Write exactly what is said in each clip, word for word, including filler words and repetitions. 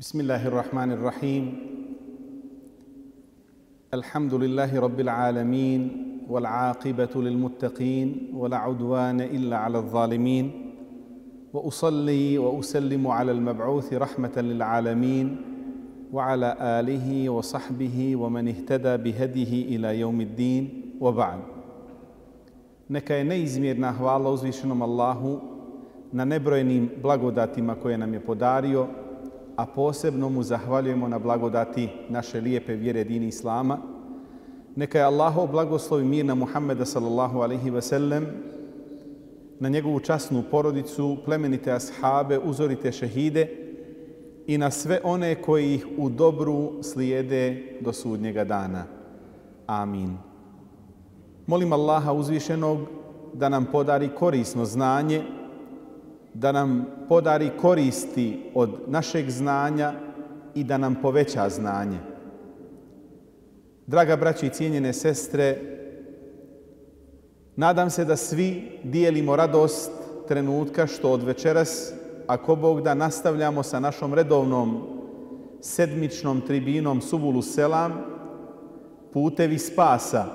بسم الله الرحمن الرحيم الحمد لله رب العالمين والعاقبة للمتقين ولا عدوان إلا على الظالمين وأصلي وأسلم على المبعوث رحمة للعالمين وعلى آله وصحبه ومن اهتدى بهديه إلى يوم الدين وبعد. Neka je neizmjerna hvala uzvišenom Allahu na nebrojenim blagodatima koje nam je podario, a posebno mu zahvaljujemo na blagodati naše lijepe vjere dini Islama. Neka je Allahov blagoslov i mir na Muhammeda sallallahu alaihi ve sellem, na njegovu časnu porodicu, plemenite ashabe, uzorite šehide i na sve one koji ih u dobru slijede do sudnjega dana. Amin. Molim Allaha uzvišenog da nam podari korisno znanje, da nam podari koristi od našeg znanja i da nam poveća znanje. Draga braći i cijenjene sestre, nadam se da svi dijelimo radost trenutka što od večeras, ako Bog da, nastavljamo sa našom redovnom sedmičnom tribinom Subulu Selam, putevi spasa.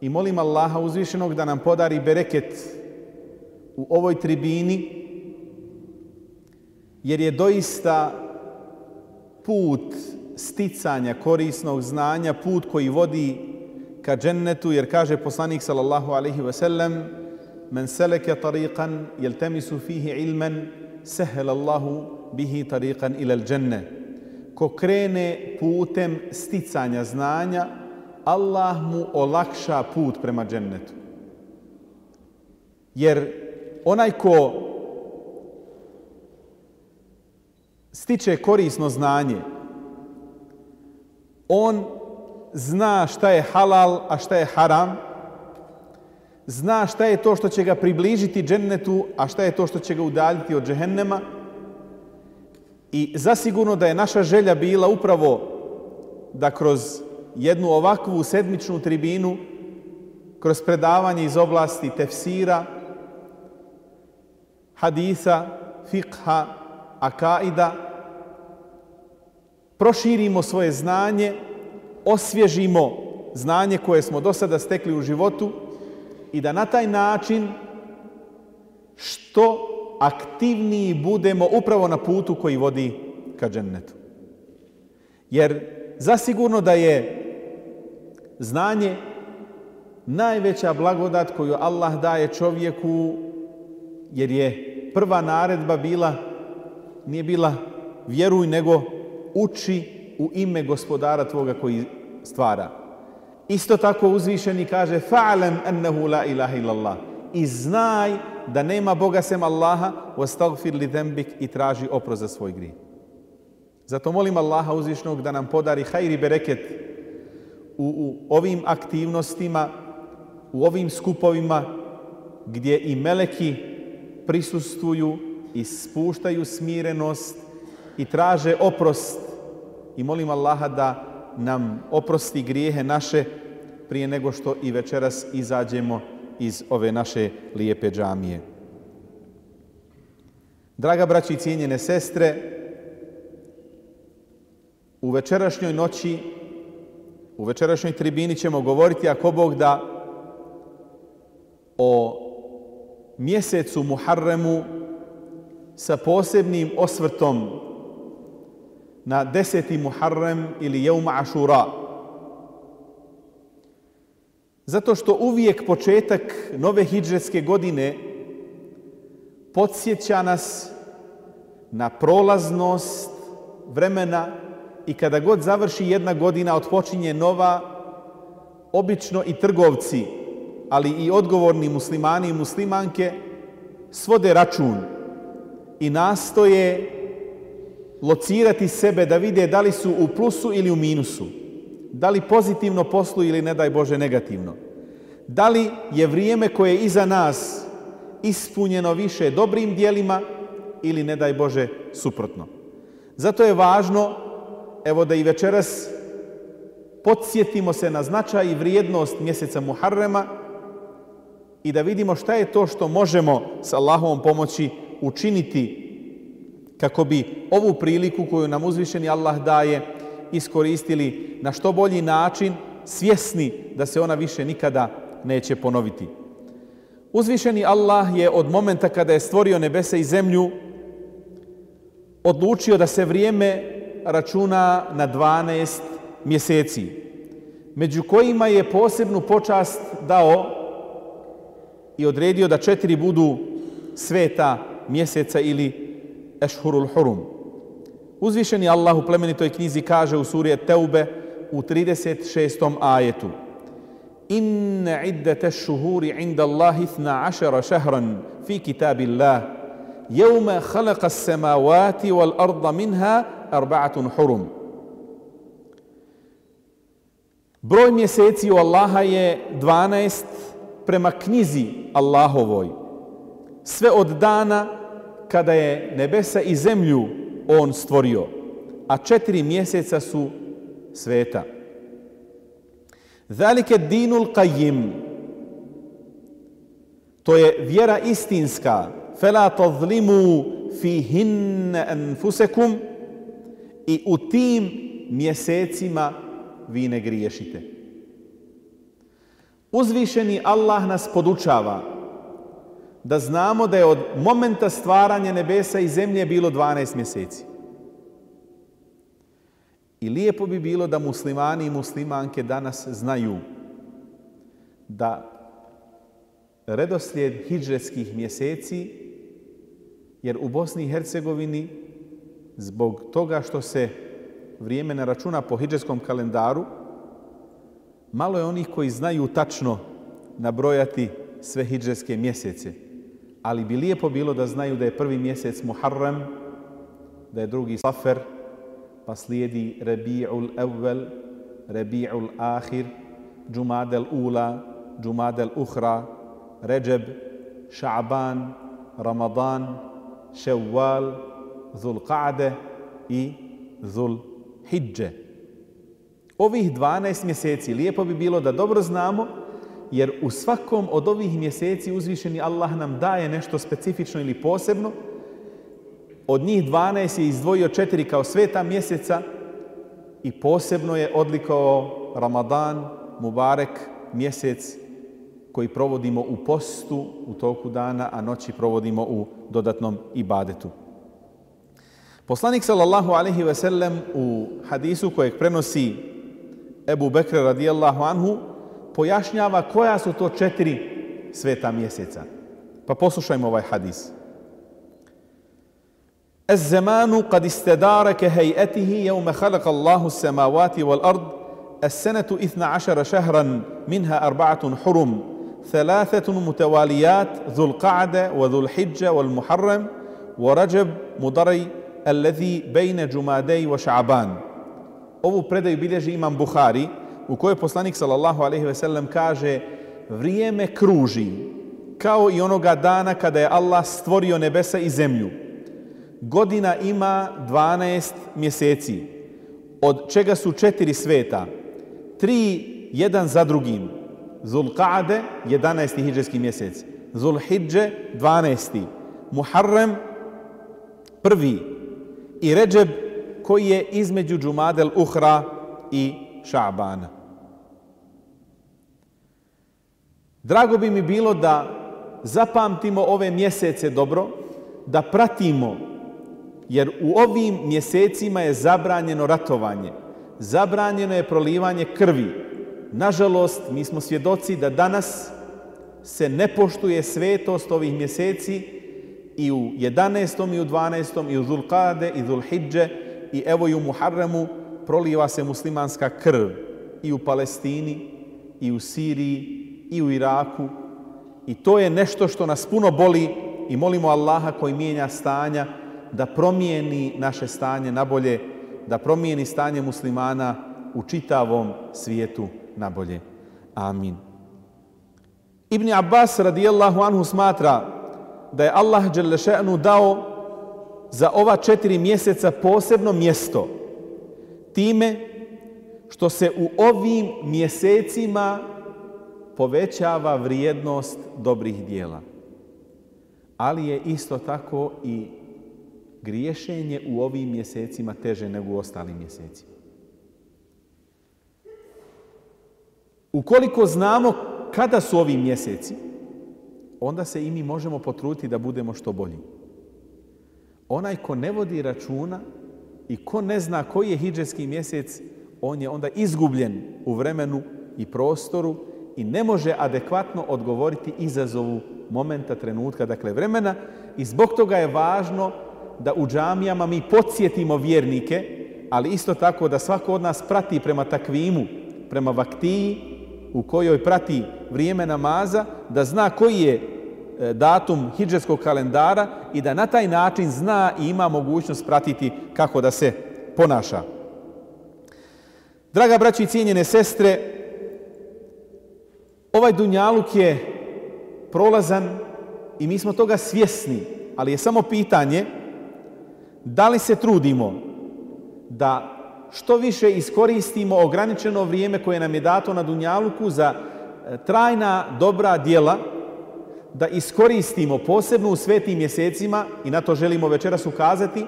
I molim Allaha uzvišenog da nam podari bereket u ovoj tribini, jer je doista put sticanja korisnog znanja, put koji vodi ka džennetu, jer kaže poslanik sallallahu alaihi ve sellem: men seleke tariqan jeltemisu fihi ilmen sehel Allahu bihi tariqan ilal dženne. Ko krene putem sticanja znanja, Allah mu olakša put prema džennetu. Jer onaj ko stiče korisno znanje, on zna šta je halal, a šta je haram, zna šta je to što će ga približiti džennetu, a šta je to što će ga udaljiti od džehennema. I zasigurno da je naša želja bila upravo da kroz jednu ovakvu sedmičnu tribinu, kroz predavanje iz oblasti tefsira, hadisa, fikha, akaida, proširimo svoje znanje, osvježimo znanje koje smo do sada stekli u životu i da na taj način što aktivniji budemo upravo na putu koji vodi ka džennetu. Jer zasigurno da je znanje najveća blagodat koju Allah daje čovjeku, jer je prva naredba bila, nije bila vjeruj, nego uči u ime gospodara tvoga koji stvara. Isto tako uzvišeni kaže fa'lam annahu la ilaha illallah, i znaj da nema Boga sem Allaha, wastaghfir li dhanbik, i traži oprost za svoj grijeh. Zato molim Allaha uzvišenog da nam podari hajr i bereket u, u ovim aktivnostima, u ovim skupovima gdje i meleki prisustvuju i spuštaju smirenost i traže oprost. I molim Allaha da nam oprosti grijehe naše prije nego što i večeras izađemo iz ove naše lijepe džamije. Draga braći i cijenjene sestre, u večerašnjoj noći, u večerašnjoj tribini ćemo govoriti, ako Bog da, o mjesecu Muharremu sa posebnim osvrtom na deseti Muharrem ili Jevma Ašura. Zato što uvijek početak nove hidžretske godine podsjeća nas na prolaznost vremena i kada god završi jedna godina, otpočinje nova, obično i trgovci, ali i odgovorni muslimani i muslimanke svode račun i nastoje locirati sebe da vide da li su u plusu ili u minusu, da li pozitivno posluju ili, ne daj Bože, negativno. Da li je vrijeme koje je iza nas ispunjeno više dobrim dijelima ili, ne daj Bože, suprotno. Zato je važno, evo, da i večeras podsjetimo se na značaj i vrijednost mjeseca Muharrema i da vidimo šta je to što možemo s Allahovom pomoći učiniti kako bi ovu priliku koju nam uzvišeni Allah daje iskoristili na što bolji način, svjesni da se ona više nikada neće ponoviti. Uzvišeni Allah je od momenta kada je stvorio nebesa i zemlju odlučio da se vrijeme računa na dvanaest mjeseci, među kojima je posebnu počast dao i odredio da četiri budu sveta mjeseca ili ešhurul hurum. Uzvišeni Allah u plemenitoj knjizi kaže u suri Teube u trideset šestom ajetu: Inna iddete šuhuri inda Allahi ithna ašara šehran fi kitabillah jevme khalaqa samavati wal arda minha arba'atun hurum. Broj mjeseci u Allaha je dvanaest prema knjizi Allahovoj, sve od dana kada je nebesa i zemlju on stvorio, a četiri mjeseca su sveta. Zalike dinul qayyim, to je vjera istinska, fela tazlimu fihinne anfusekum, i u tim mjesecima vi ne griješite. Uzvišeni Allah nas podučava da znamo da je od momenta stvaranja nebesa i zemlje bilo dvanaest mjeseci. I lijepo bi bilo da muslimani i muslimanke danas znaju da redoslijed hidžretskih mjeseci, jer u Bosni i Hercegovini zbog toga što se vrijeme ne računa po hidžretskom kalendaru, malo je onih koji znaju tačno nabrojati sve hidžretske mjesece. Ali bi lijepo bilo da znaju da je prvi mjesec Muharrem, da je drugi Safer, pa slijedi Rabi'ul Awwal, Rabi'ul Akhir, Džumadel Ula, Džumadel Ukhra, Ređeb, Ša'ban, Ramadan, Ševval, Zul Qa'de i Zul Hidže. Ovih dvanaest mjeseci lijepo bi bilo da dobro znamo, jer u svakom od ovih mjeseci uzvišeni Allah nam daje nešto specifično ili posebno. Od njih dvanaest je izdvojio četiri kao sveta mjeseca i posebno je odlikovao Ramadan, Mubarek, mjesec koji provodimo u postu u toku dana, a noći provodimo u dodatnom ibadetu. Poslanik sallallahu alejhi ve sellem u hadisu kojeg prenosi Ebu Bekr radijallahu anhu pojašnjava koja su to četiri sveta mjeseca. Pa poslušajmo ovaj hadis. Az-zamanu qad istadara ka hay'atihi yawma khalaqa Allahu as-samawati wal ard as-sanatu ithna ashara shahran minha arba'atun hurum thalathatun mutawaliyat dhul qa'da wa dhul hijja wal muharram wa rajab mudari alladhi bayna jumadai wa sha'ban. Ovu predaju bilježi imam Buhari, u kojoj poslanik sallallahu alejhi ve sellem kaže: vrijeme kruži kao i onoga dana kada je Allah stvorio nebesa i zemlju. Godina ima dvanaest mjeseci, od čega su četiri sveta, tri jedan za drugim. Zul Qa'de, jedanaesti hidžretski mjesec, Zul Hidže, dvanaesti, Muharrem, prvi, i Ređeb, koji je između Džumadel Ukhra i Ša'bana. Drago bi mi bilo da zapamtimo ove mjesece dobro, da pratimo, jer u ovim mjesecima je zabranjeno ratovanje, zabranjeno je prolivanje krvi. Nažalost, mi smo svjedoci da danas se ne poštuje svetost ovih mjeseci i u jedanaestom i u dvanaestom i u Zul Qa'de i Zul Hidže i evo i u Muharremu proliva se muslimanska krv i u Palestini i u Siriji i u Iraku, i to je nešto što nas puno boli i molimo Allaha koji mijenja stanja da promijeni naše stanje na bolje, da promijeni stanje muslimana u čitavom svijetu na bolje. Amin. Ibn Abbas radijallahu anhu smatra da je Allah dželle še'nu dao za ova četiri mjeseca posebno mjesto time što se u ovim mjesecima povećava vrijednost dobrih dijela. Ali je isto tako i griješenje u ovim mjesecima teže nego u ostalim mjesecima. Ukoliko znamo kada su ovi mjeseci, onda se i mi možemo potruditi da budemo što bolji. Onaj ko ne vodi računa i ko ne zna koji je hidžetski mjesec, on je onda izgubljen u vremenu i prostoru i ne može adekvatno odgovoriti izazovu momenta, trenutka, dakle vremena. I zbog toga je važno da u džamijama mi podsjetimo vjernike, ali isto tako da svako od nas prati prema takvimu, prema vaktiji u kojoj prati vrijeme namaza, da zna koji je datum hidžetskog kalendara i da na taj način zna i ima mogućnost pratiti kako da se ponaša. Draga braćo i cijenjene sestre, ovaj dunjaluk je prolazan i mi smo toga svjesni, ali je samo pitanje da li se trudimo da što više iskoristimo ograničeno vrijeme koje nam je dato na dunjaluku za trajna dobra djela, da iskoristimo posebno u svetim mjesecima, i na to želimo večeras ukazati,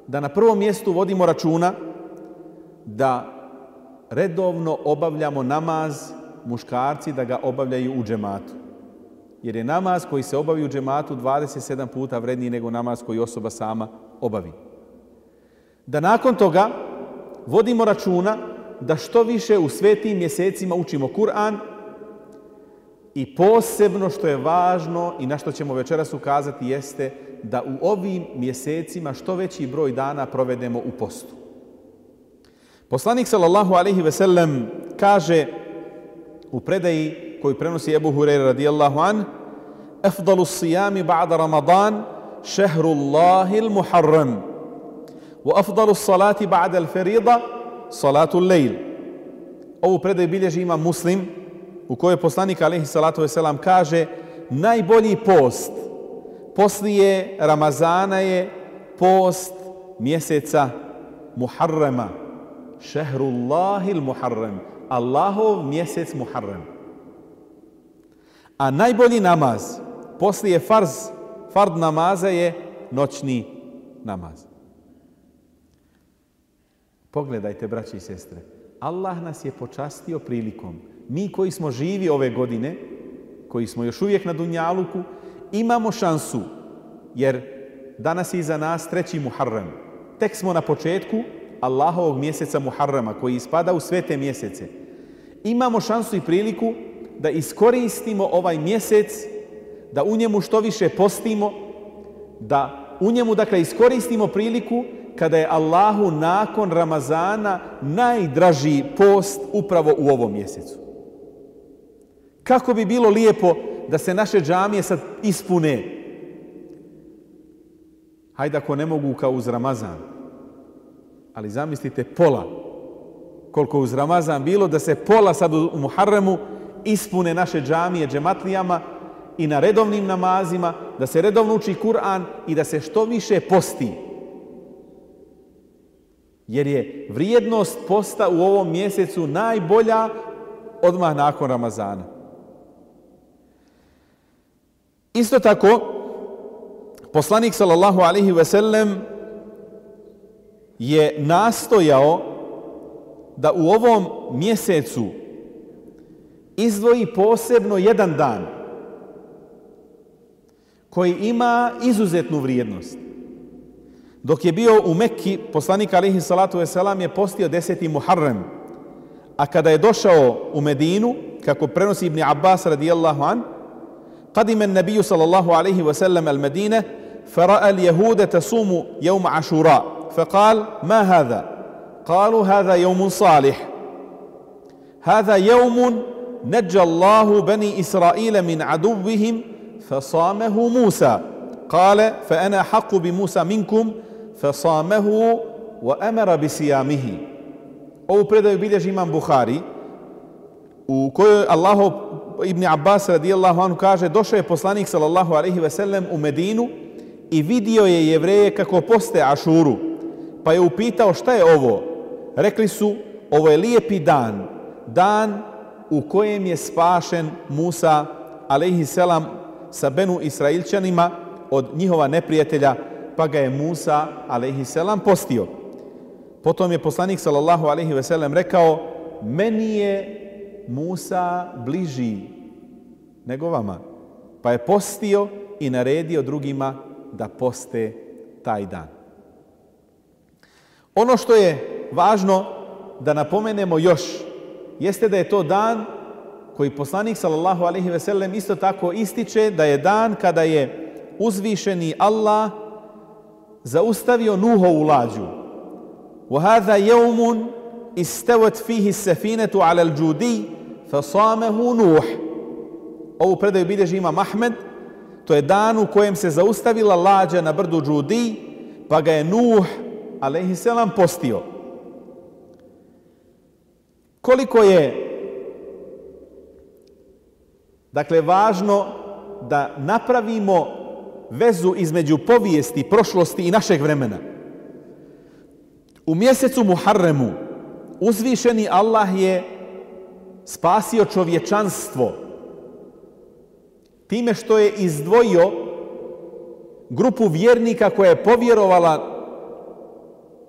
da na prvom mjestu vodimo računa da redovno obavljamo namaz, muškarci da ga obavljaju u džematu. Jer je namaz koji se obavi u džematu dvadeset sedam puta vredniji nego namaz koji osoba sama obavi. Da nakon toga vodimo računa da što više u svetim mjesecima učimo Kur'an i posebno što je važno i na što ćemo večeras ukazati jeste da u ovim mjesecima što veći broj dana provedemo u postu. Poslanik sallallahu alejhi ve sellem kaže u predaji koju prenosi Ebu Hurajra radijallahu an: "Afdalu sijami ba'da Ramadan šehrullahi l-Muharram, wa afdalu salati ba'da l-Ferida salatu l-Lejl." Ovu predaju bilježi Imam Muslim, u kojoj poslanik alejhi salatu vesselam kaže: najbolji post poslije Ramazana je post mjeseca Muharrema. Šehrullahi l-Muharram, Allahov mjesec Muharrem. A najbolji namaz poslije farz, fard namaza je noćni namaz. Pogledajte, braći i sestre, Allah nas je počastio prilikom. Mi koji smo živi ove godine, koji smo još uvijek na dunjaluku, imamo šansu, jer danas je iza nas treći Muharrem. Tek smo na početku Allahovog mjeseca Muharrema, koji ispada u svete mjesece. Imamo šansu i priliku da iskoristimo ovaj mjesec, da u njemu što više postimo, da u njemu, dakle, iskoristimo priliku kada je Allahu nakon Ramazana najdraži post upravo u ovom mjesecu. Kako bi bilo lijepo da se naše džamije sad ispune. Hajde ako ne mogu kao uz Ramazan, ali zamislite pola, koliko uz Ramazan bilo, da se pola sad u Muharremu ispune naše džamije džematlijama i na redovnim namazima, da se redovno uči Kur'an i da se što više posti. Jer je vrijednost posta u ovom mjesecu najbolja odmah nakon Ramazana. Isto tako, poslanik sallallahu alejhi ve sellem je nastojao da u ovom mjesecu izdvoji posebno jedan dan koji ima izuzetnu vrijednost. Dok je bio u Mekki, poslanik alejhi salatu vesselam je postio deseti Muharrem, a kada je došao u Medinu, kako prenosi Ibn Abbas radijallahu an, قدم النبي صلى الله عليه وسلم المدينة فرأى اليهود تصوم يوم عاشوراء فقال: ما هذا؟ قالوا: هذا يوم صالح، هذا يوم نجى الله بني إسرائيل من عدوهم فصامه موسى. قال: فأنا أحق بموسى منكم فصامه وأمر بصيامه. Ovu predaju bilježi Imam Buhari, u kojoj Allahov Ibn Abbas radijallahu anhu kaže: došao je poslanik sallallahu alejhi ve sellem u Medinu i vidio je Jevreje kako poste Ašuru, pa je upitao: šta je ovo? Rekli su: ovo je lijepi dan, dan u kojem je spašen Musa alejhi selam sa Benu Israilčanima od njihova neprijatelja pa ga je Musa alejhiselam postio. Potom je poslanik sallallahu alejhi ve sellem rekao: meni je Musa bliži nego vama. Pa je postio i naredio drugima da poste taj dan. Ono što je važno da napomenemo još jeste da je to dan koji poslanik sallallahu alejhi ve sellem isto tako ističe da je dan kada je uzvišeni Allah zaustavio Nuhovu lađu. وَهَذَا يَوْمٌ إِسْتَوَتْ فِيهِ السَّفِينَةُ عَلَى الْجُودِيِّ فَصَامَهُ نُوح. Ovu predaju bilježi imam Ahmed. To je dan u kojem se zaustavila lađa na brdu Džudi, pa ga je Nuh alejhiselam postio. Koliko je dakle važno da napravimo vezu između povijesti, prošlosti i našeg vremena. U mjesecu Muharremu uzvišeni Allah je spasio čovječanstvo time što je izdvojio grupu vjernika koja je povjerovala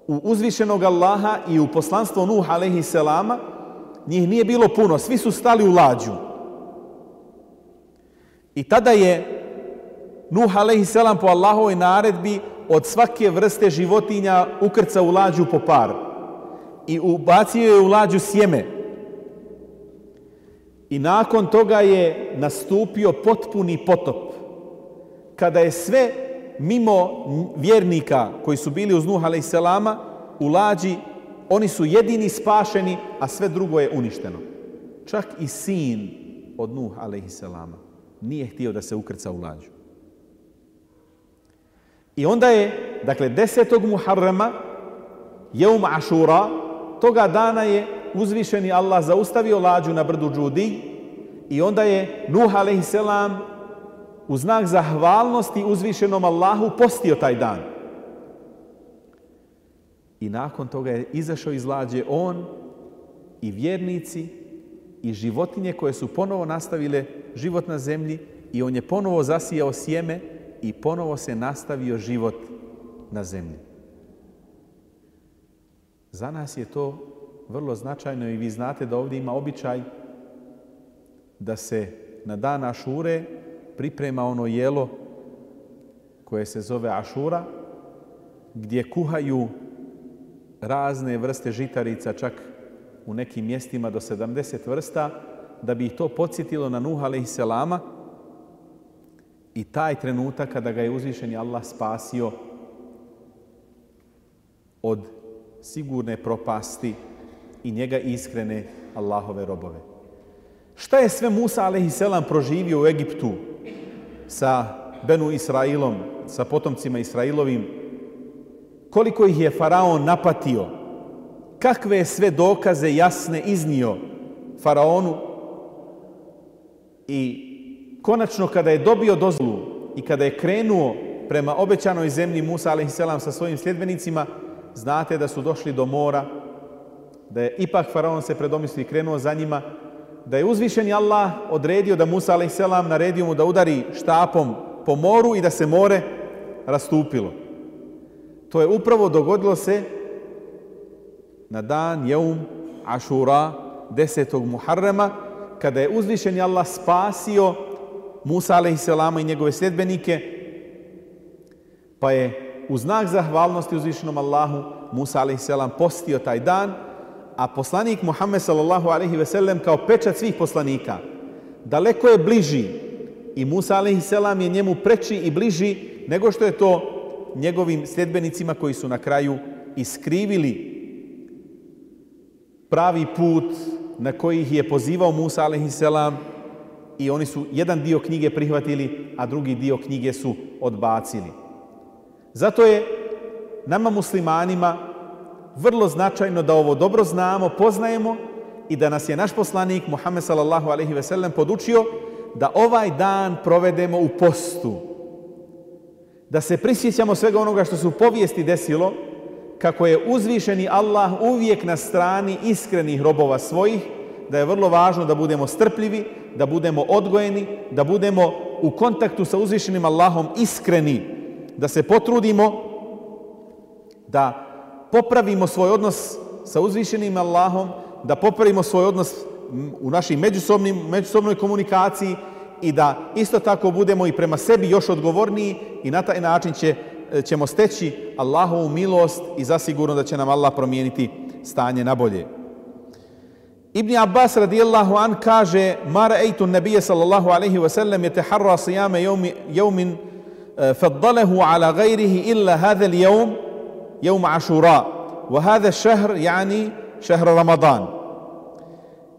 u uzvišenog Allaha i u poslanstvo Nuh alejhiselama. Njih nije bilo puno, svi su stali u lađu. I tada je Nuh alejhiselam po Allahovoj naredbi od svake vrste životinja ukrcao u lađu po par i ubacio je u lađu sjeme. I nakon toga je nastupio potpuni potop, kada je sve mimo vjernika koji su bili uz Nuh alejhiselama u lađi, oni su jedini spašeni, a sve drugo je uništeno. Čak i sin od Nuh alejhiselama nije htio da se ukrca u lađu. I onda je, dakle, desetog Muharrema, Jeum Ašura, toga dana je uzvišeni Allah zaustavio lađu na brdu Džudi i onda je Nuh alejhiselam u znak zahvalnosti uzvišenom Allahu postio taj dan. I nakon toga je izašao iz lađe on i vjernici i životinje koje su ponovo nastavile život na zemlji i on je ponovo zasijao sjeme i ponovo se nastavio život na zemlji. Za nas je to vrlo značajno i vi znate da ovdje ima običaj da se na dan Ašure priprema ono jelo koje se zove Ašura, gdje kuhaju razne vrste žitarica, čak u nekim mjestima do sedamdeset vrsta, da bi ih to podsjetilo na Nuh alejhiselama i taj trenutak kada ga je uzvišeni Allah spasio od sigurne propasti i njega iskrene Allahove robove. Šta je sve Musa alejhiselam proživio u Egiptu sa Benu Israilom, sa potomcima Israilovim? Koliko ih je faraon napatio? Kakve je sve dokaze jasne iznio faraonu? I konačno kada je dobio dozvolu i kada je krenuo prema obećanoj zemlji Musa alejhiselam sa svojim sljedbenicima, znate da su došli do mora, da je ipak faraon se predomislio i krenuo za njima, da je uzvišeni Allah odredio da Musa alejhiselam naredio mu da udari štapom po moru i da se more rastupilo. To je upravo dogodilo se na dan Jeum Ašura, desetog Muharrema, kada je uzvišeni Allah spasio Musa alejhiselama i njegove sljedbenike, pa je u znak zahvalnosti uzvišenom Allahu Musa alejhiselam postio taj dan, a poslanik Muhammed sallallahu alejhi ve sellem kao pečat svih poslanika daleko je bliži i Musa alejhiselam je njemu preči i bliži nego što je to njegovim sljedbenicima koji su na kraju iskrivili pravi put na koji ih je pozivao Musa alejhiselam i oni su jedan dio knjige prihvatili, a drugi dio knjige su odbacili. Zato je nama muslimanima vrlo značajno da ovo dobro znamo, poznajemo i da nas je naš poslanik Muhammed sallallahu alejhi ve sellem podučio da ovaj dan provedemo u postu. Da se prisjećamo svega onoga što se u povijesti desilo, kako je uzvišeni Allah uvijek na strani iskrenih robova svojih, da je vrlo važno da budemo strpljivi, da budemo odgojeni, da budemo u kontaktu sa uzvišenim Allahom iskreni da se potrudimo da popravimo svoj odnos sa uzvišenim Allahom, da popravimo svoj odnos u našoj međusobnoj komunikaciji i da isto tako budemo i prema sebi još odgovorniji i na taj način će, ćemo steći Allahovu milost i zasigurno da će nam Allah promijeniti stanje na bolje. Ibn Abbas radijallahu an kaže: "Ma ra'aytu an-nabiyya sallallahu alayhi wa sallam yataharra siyama yawm yawmin faddalahu ala ghayrihi illa hadha al-yawm yawm Ashura wa hadha ash-shahr yani shahr Ramadan."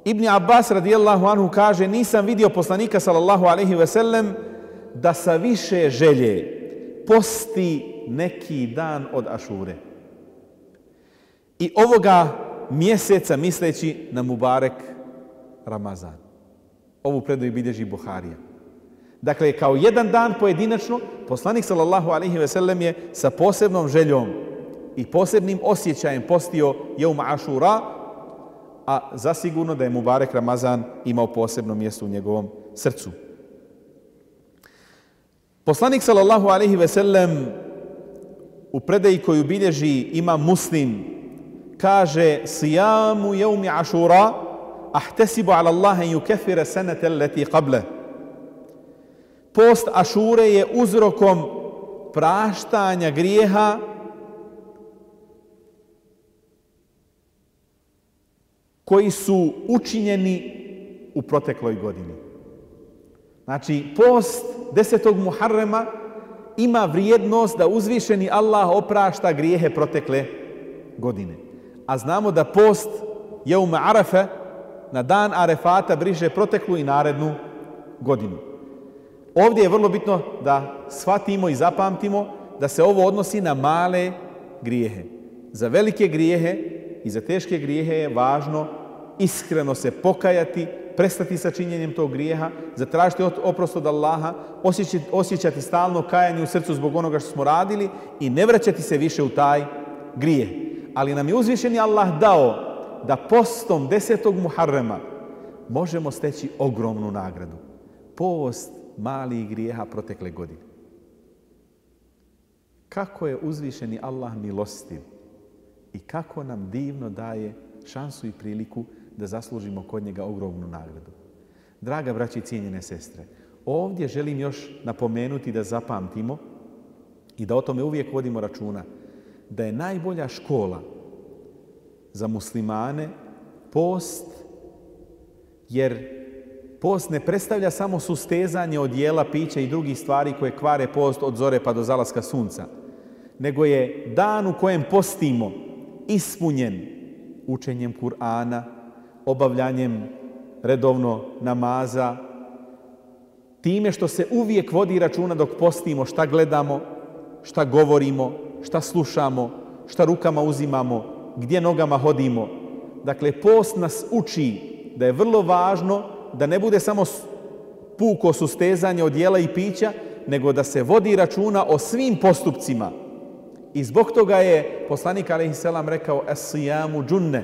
Ibn Abbas radijallahu anhu kaže: "Nisam vidio poslanika sallallahu alayhi wa sallam da sa više želje posti neki dan od Ašure." I ovoga mjeseca misleći na Mubarek Ramazan. Ovu predaju bilježi Buharija. Dakle, kao jedan dan pojedinačno, poslanik sallallahu alejhi ve sellem je sa posebnom željom i posebnim osjećajem postio Jeum Ašura, a zasigurno da je Mubarek Ramazan imao posebno mjesto u njegovom srcu. Poslanik sallallahu alejhi ve sellem u predaji koju bilježi Imam Muslim kaže: "Sijamu jevmi Ašura ahtesibu ala Allaha en yukeffira sanata allati qabla." Post Ašure je uzrokom praštanja grijeha koji su učinjeni u protekloj godini. Znači, post desetog Muharrema ima vrijednost da uzvišeni Allah oprašta grijehe protekle godine. A znamo da post Jeuma Arafe, na dan Arefata, briše proteklu i narednu godinu. Ovdje je vrlo bitno da shvatimo i zapamtimo da se ovo odnosi na male grijehe. Za velike grijehe i za teške grijehe je važno iskreno se pokajati, prestati sa činjenjem tog grijeha, zatražiti oprost od Allaha, osjećati, osjećati stalno kajanje u srcu zbog onoga što smo radili i ne vraćati se više u taj grijeh. Ali nam je uzvišeni Allah dao da postom desetog Muharrema možemo steći ogromnu nagradu. Post malih grijeha protekle godine. Kako je uzvišeni Allah milostiv i kako nam divno daje šansu i priliku da zaslužimo kod njega ogromnu nagradu. Draga braći i cijenjene sestre, ovdje želim još napomenuti da zapamtimo i da o tome uvijek vodimo računa, da je najbolja škola za muslimane post, jer post ne predstavlja samo sustezanje od jela, pića i drugih stvari koje kvare post od zore pa do zalaska sunca, nego je dan u kojem postimo ispunjen učenjem Kur'ana, obavljanjem redovno namaza, time što se uvijek vodi računa dok postimo šta gledamo, šta govorimo, šta slušamo, šta rukama uzimamo, gdje nogama hodimo. Dakle, post nas uči da je vrlo važno da ne bude samo puko sustezanje od jela i pića, nego da se vodi računa o svim postupcima. I zbog toga je poslanik alejhiselam rekao: "Es-sijamu džunne."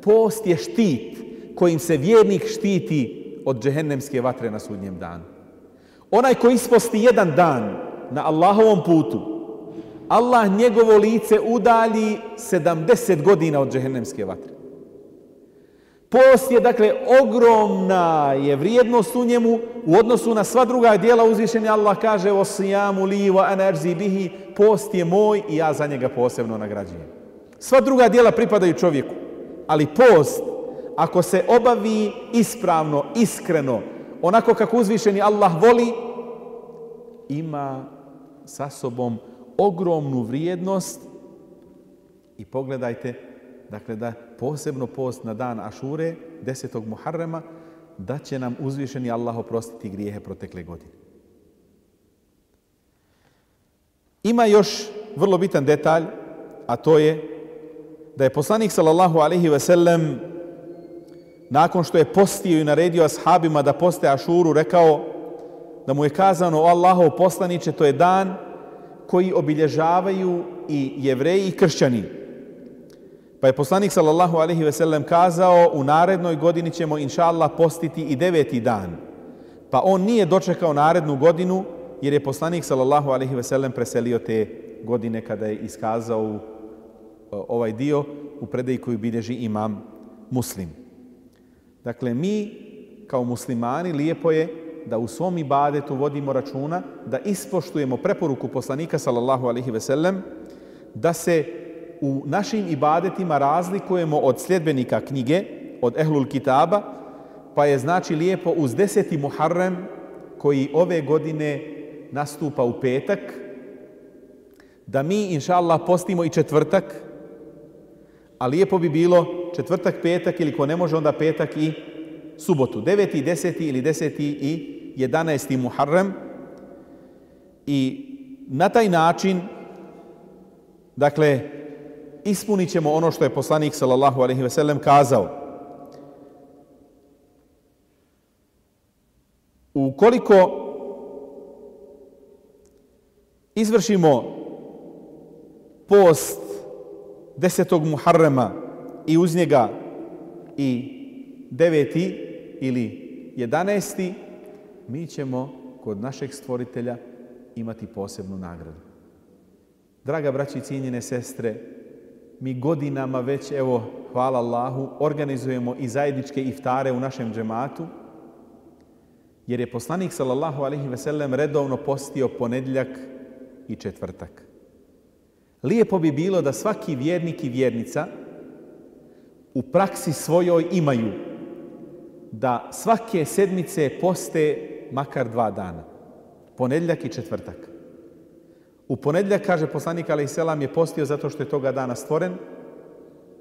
Post je štit kojim se vjernik štiti od džehennemske vatre na sudnjem danu. Onaj koji isposti jedan dan na Allahovom putu, Allah njegovo lice udalji sedamdeset godina od džehennemske vatre. Post je, dakle, ogromna je vrijednost u njemu u odnosu na sva druga djela. Uzvišeni Allah kaže: "Osijamu li wa ana ajzi bihi." Post je moj i ja za njega posebno nagrađujem. Sva druga djela pripadaju čovjeku, ali post, ako se obavi ispravno, iskreno, onako kako uzvišeni Allah voli, ima sa sobom ogromnu vrijednost. I pogledajte, dakle, da posebno post na dan Ašure, desetog Muharrema, da će nam uzvišeni Allah oprostiti grijehe protekle godine. Ima još vrlo bitan detalj, a to je da je poslanik sallallahu alejhi ve sellem nakon što je postio i naredio ashabima da poste Ašuru rekao da mu je kazano: "O Allahov poslaniče, to je dan koji obilježavaju i Jevreji i kršćani." Pa je poslanik sallallahu alejhi ve sellem kazao: "U narednoj godini ćemo inša Allah postiti i deveti dan." Pa on nije dočekao narednu godinu, jer je poslanik sallallahu alejhi ve sellem preselio te godine kada je iskazao ovaj dio u predaji koju bilježi imam Muslim. Dakle, mi kao muslimani lijepo je da u svom ibadetu vodimo računa, da ispoštujemo preporuku poslanika sallallahu alejhi ve sellem, da se u našim ibadetima razlikujemo od sljedbenika knjige, od ehlul kitaba, pa je znači lijepo uz deseti Muharrem koji ove godine nastupa u petak, da mi inša Allah postimo i četvrtak, a lijepo bi bilo četvrtak, petak ili ko ne može onda petak i subotu. Deveti, deseti ili deseti i jedanaesti Muharrem. I na taj način, dakle, ispunit ćemo ono što je poslanik sallallahu alejhi ve sellem kazao. Ukoliko izvršimo post desetog Muharrema i uz njega i deveti ili jedanaesti, mi ćemo kod našeg stvoritelja imati posebnu nagradu. Draga braći i cijenjene sestre, mi godinama već, evo, hvala Allahu, organizujemo i zajedničke iftare u našem džematu, jer je poslanik sallallahu alejhi ve sellem redovno postio ponedjeljak i četvrtak. Lijepo bi bilo da svaki vjernik i vjernica u praksi svojoj imaju da svake sedmice poste makar dva dana, ponedjeljak i četvrtak. U ponedjeljak, kaže poslanik alejhi selam, je postio zato što je toga dana stvoren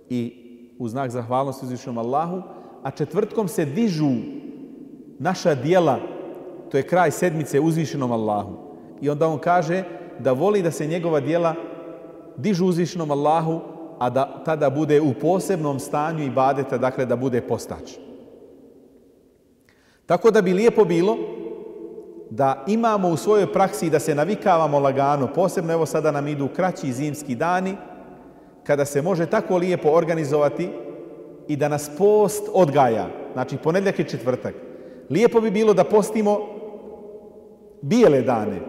i u znak zahvalnosti uzvišenom Allahu, a četvrtkom se dižu naša djela, to je kraj sedmice, uzvišenom Allahu. I onda on kaže da voli da se njegova djela dižu uzvišenom Allahu, a da tada bude u posebnom stanju ibadeta, dakle da bude postač. Tako da bi lijepo bilo da imamo u svojoj praksi da se navikavamo lagano, posebno evo sada nam idu kraći zimski dani, kada se može tako lijepo organizovati i da nas post odgaja, znači ponedjeljak i četvrtak. Lijepo bi bilo da postimo bijele dane,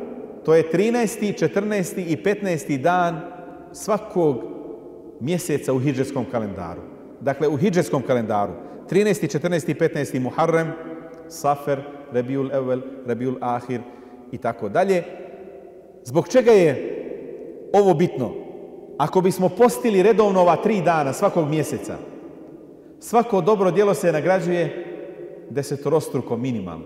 to je trinaesti, četrnaesti i petnaesti dan svakog mjeseca u hidžetskom kalendaru. Dakle, u hidžetskom kalendaru, trinaesti, četrnaesti i petnaesti Muharrem, Safer, Rebiul Evvel, Rebiul Ahir i tako dalje. Zbog čega je ovo bitno? Ako bismo postili redovno ova tri dana svakog mjeseca, svako dobro djelo se nagrađuje desetorostruko minimalno.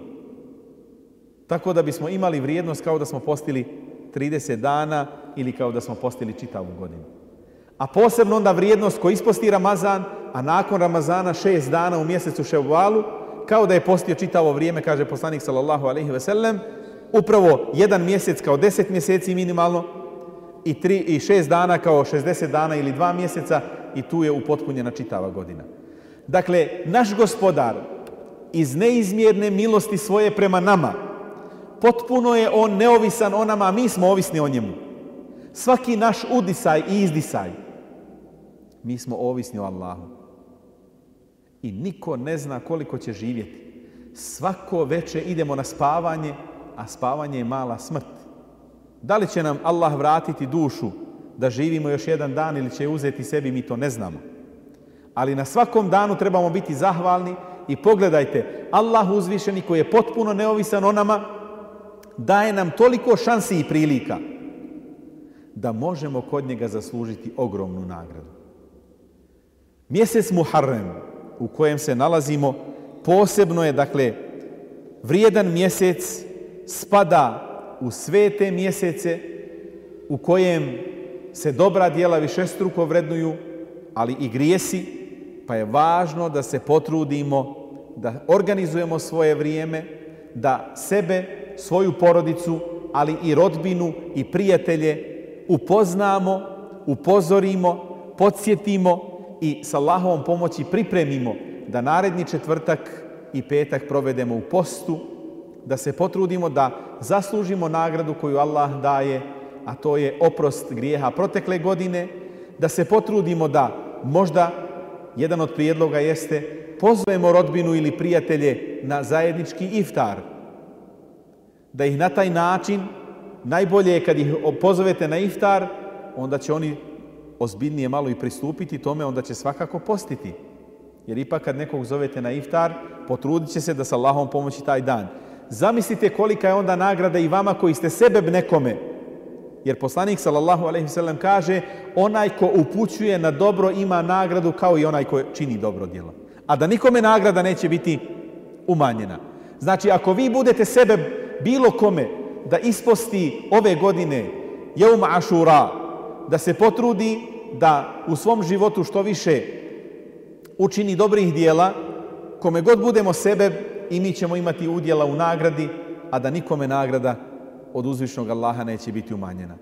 Tako da bismo imali vrijednost kao da smo postili trideset dana ili kao da smo postili čitavu godinu. A posebno onda vrijednost ko isposti Ramazan, a nakon Ramazana šest dana u mjesecu Ševvalu, kao da je postio čitavo vrijeme, kaže poslanik sallallahu alejhi ve sellem, upravo jedan mjesec kao deset mjeseci minimalno i, tri, i šest dana kao šezdeset dana ili dva mjeseca i tu je upotpunjena čitava godina. Dakle, naš gospodar iz neizmjerne milosti svoje prema nama, potpuno je on neovisan o nama, a mi smo ovisni o njemu. Svaki naš udisaj i izdisaj, mi smo ovisni o Allahu. I niko ne zna koliko će živjeti. Svako večer idemo na spavanje, a spavanje je mala smrt. Da li će nam Allah vratiti dušu da živimo još jedan dan ili će uzeti sebi, mi to ne znamo. Ali na svakom danu trebamo biti zahvalni i pogledajte, Allah uzvišeni koji je potpuno neovisan o nama, daje nam toliko šansi i prilika da možemo kod njega zaslužiti ogromnu nagradu. Mjesec Muharrem u kojem se nalazimo posebno je, dakle, vrijedan mjesec, spada u svete mjesece u kojem se dobra djela višestruko vrednuju, ali i grijesi, pa je važno da se potrudimo, da organizujemo svoje vrijeme, da sebe, svoju porodicu, ali i rodbinu i prijatelje upoznamo, upozorimo, podsjetimo i s Allahovom pomoći pripremimo da naredni četvrtak i petak provedemo u postu, da se potrudimo da zaslužimo nagradu koju Allah daje, a to je oprost grijeha protekle godine, da se potrudimo da možda jedan od prijedloga jeste pozovemo rodbinu ili prijatelje na zajednički iftar, da ih na taj način, najbolje je kad ih pozovete na iftar, onda će oni ozbiljnije malo i pristupiti tome, onda će svakako postiti. Jer ipak kad nekog zovete na iftar, potrudit će se da sa Allahom pomoći taj dan. Zamislite kolika je onda nagrada i vama koji ste sebeb nekome. Jer poslanik sallallahu alejhi ve sellem kaže, onaj ko upućuje na dobro ima nagradu kao i onaj ko čini dobro djelo. A da nikome nagrada neće biti umanjena. Znači, ako vi budete sebeb bilo kome da isposti ove godine Jeum Ašura, da se potrudi da u svom životu što više učini dobrih dijela, kome god budemo sebeb, i mi ćemo imati udjela u nagradi, a da nikome nagrada od uzvišnog Allaha neće biti umanjena.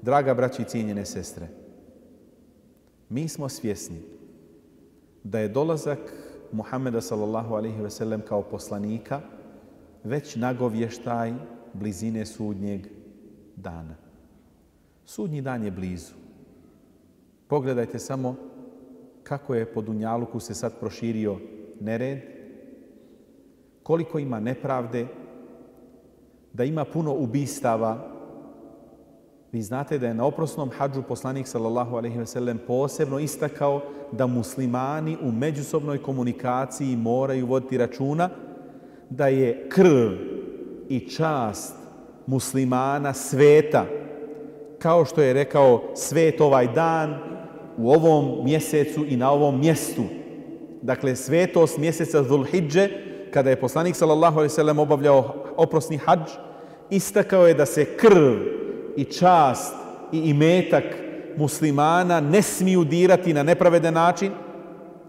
Draga braći i cijenjene sestre, mi smo svjesni da je dolazak Muhammeda sallallahu alejhi ve sellem kao poslanika već nagovještaj blizine sudnjeg dana. Sudnji dan je blizu. Pogledajte samo kako je po dunjaluku se sad proširio nered, koliko ima nepravde, da ima puno ubistava. Vi znate da je na oprosnom hadžu poslanik sallallahu alejhi ve sellem posebno istakao da muslimani u međusobnoj komunikaciji moraju voditi računa da je krv i čast muslimana sveta, kao što je rekao svet ovaj dan u ovom mjesecu i na ovom mjestu. Dakle, svetost mjeseca Zulhidže, kada je poslanik sallallahu alejhi ve sellem obavljao oprosni hadž, istakao je da se krv i čast i imetak muslimana ne smiju dirati na nepravedan način.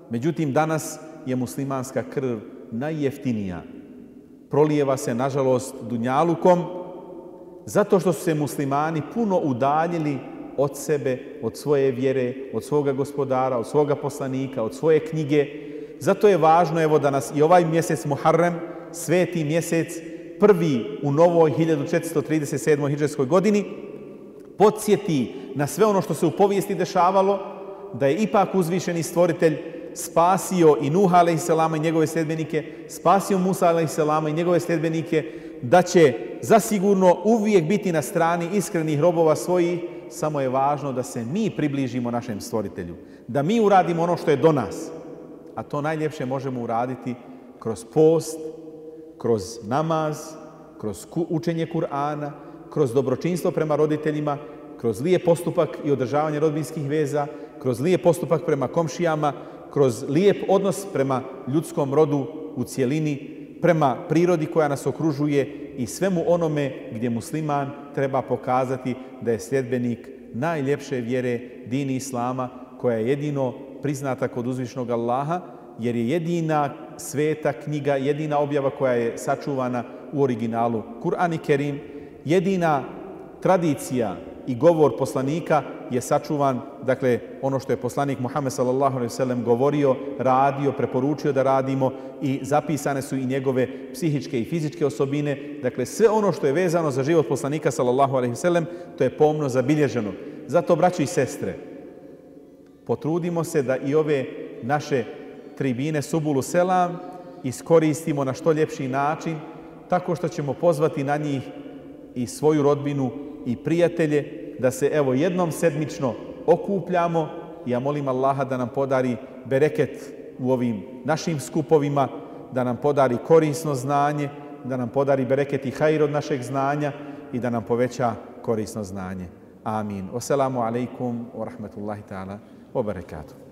Međutim, danas je muslimanska krv najjeftinija. Prolijeva se, nažalost, dunjalukom, zato što su se muslimani puno udaljili od sebe, od svoje vjere, od svoga gospodara, od svoga poslanika, od svoje knjige. Zato je važno, evo, da nas i ovaj mjesec Muharrem, sveti mjesec, prvi u novoj hiljadu četiristo trideset sedmoj hidžretskoj godini, podsjeti na sve ono što se u povijesti dešavalo, da je ipak uzvišeni stvoritelj spasio i Nuha alejselama i njegove sljedbenike, spasio Musa alejselama i njegove sljedbenike, da će zasigurno uvijek biti na strani iskrenih robova svojih, samo je važno da se mi približimo našem stvoritelju, da mi uradimo ono što je do nas. A to najljepše možemo uraditi kroz post, kroz namaz, kroz učenje Kur'ana, kroz dobročinstvo prema roditeljima, kroz lijep postupak i održavanje rodbinskih veza, kroz lijep postupak prema komšijama, kroz lijep odnos prema ljudskom rodu u cijelini, prema prirodi koja nas okružuje i svemu onome gdje musliman treba pokazati da je sljedbenik najljepše vjere, dini Islama, koja je jedino priznata kod uzvišnog Allaha, jer je jedina sveta knjiga, jedina objava koja je sačuvana u originalu Kur'an i Kerim, jedina tradicija i govor poslanika je sačuvan, dakle, ono što je poslanik Muhammed sallallahu alejhi ve sellem govorio, radio, preporučio da radimo, i zapisane su i njegove psihičke i fizičke osobine. Dakle, sve ono što je vezano za život poslanika sallallahu alejhi ve sellem, to je pomno zabilježeno. Zato, braćo i sestre, potrudimo se da i ove naše tribine Subulu Selam iskoristimo na što ljepši način, tako što ćemo pozvati na njih i svoju rodbinu i prijatelje, da se evo jednom sedmično okupljamo. Ja molim Allaha da nam podari bereket u ovim našim skupovima, da nam podari korisno znanje, da nam podari bereket i hajr od našeg znanja i da nam poveća korisno znanje. Amin. Wassalamu alaikum wa rahmatullahi ta'ala wa barakatuh.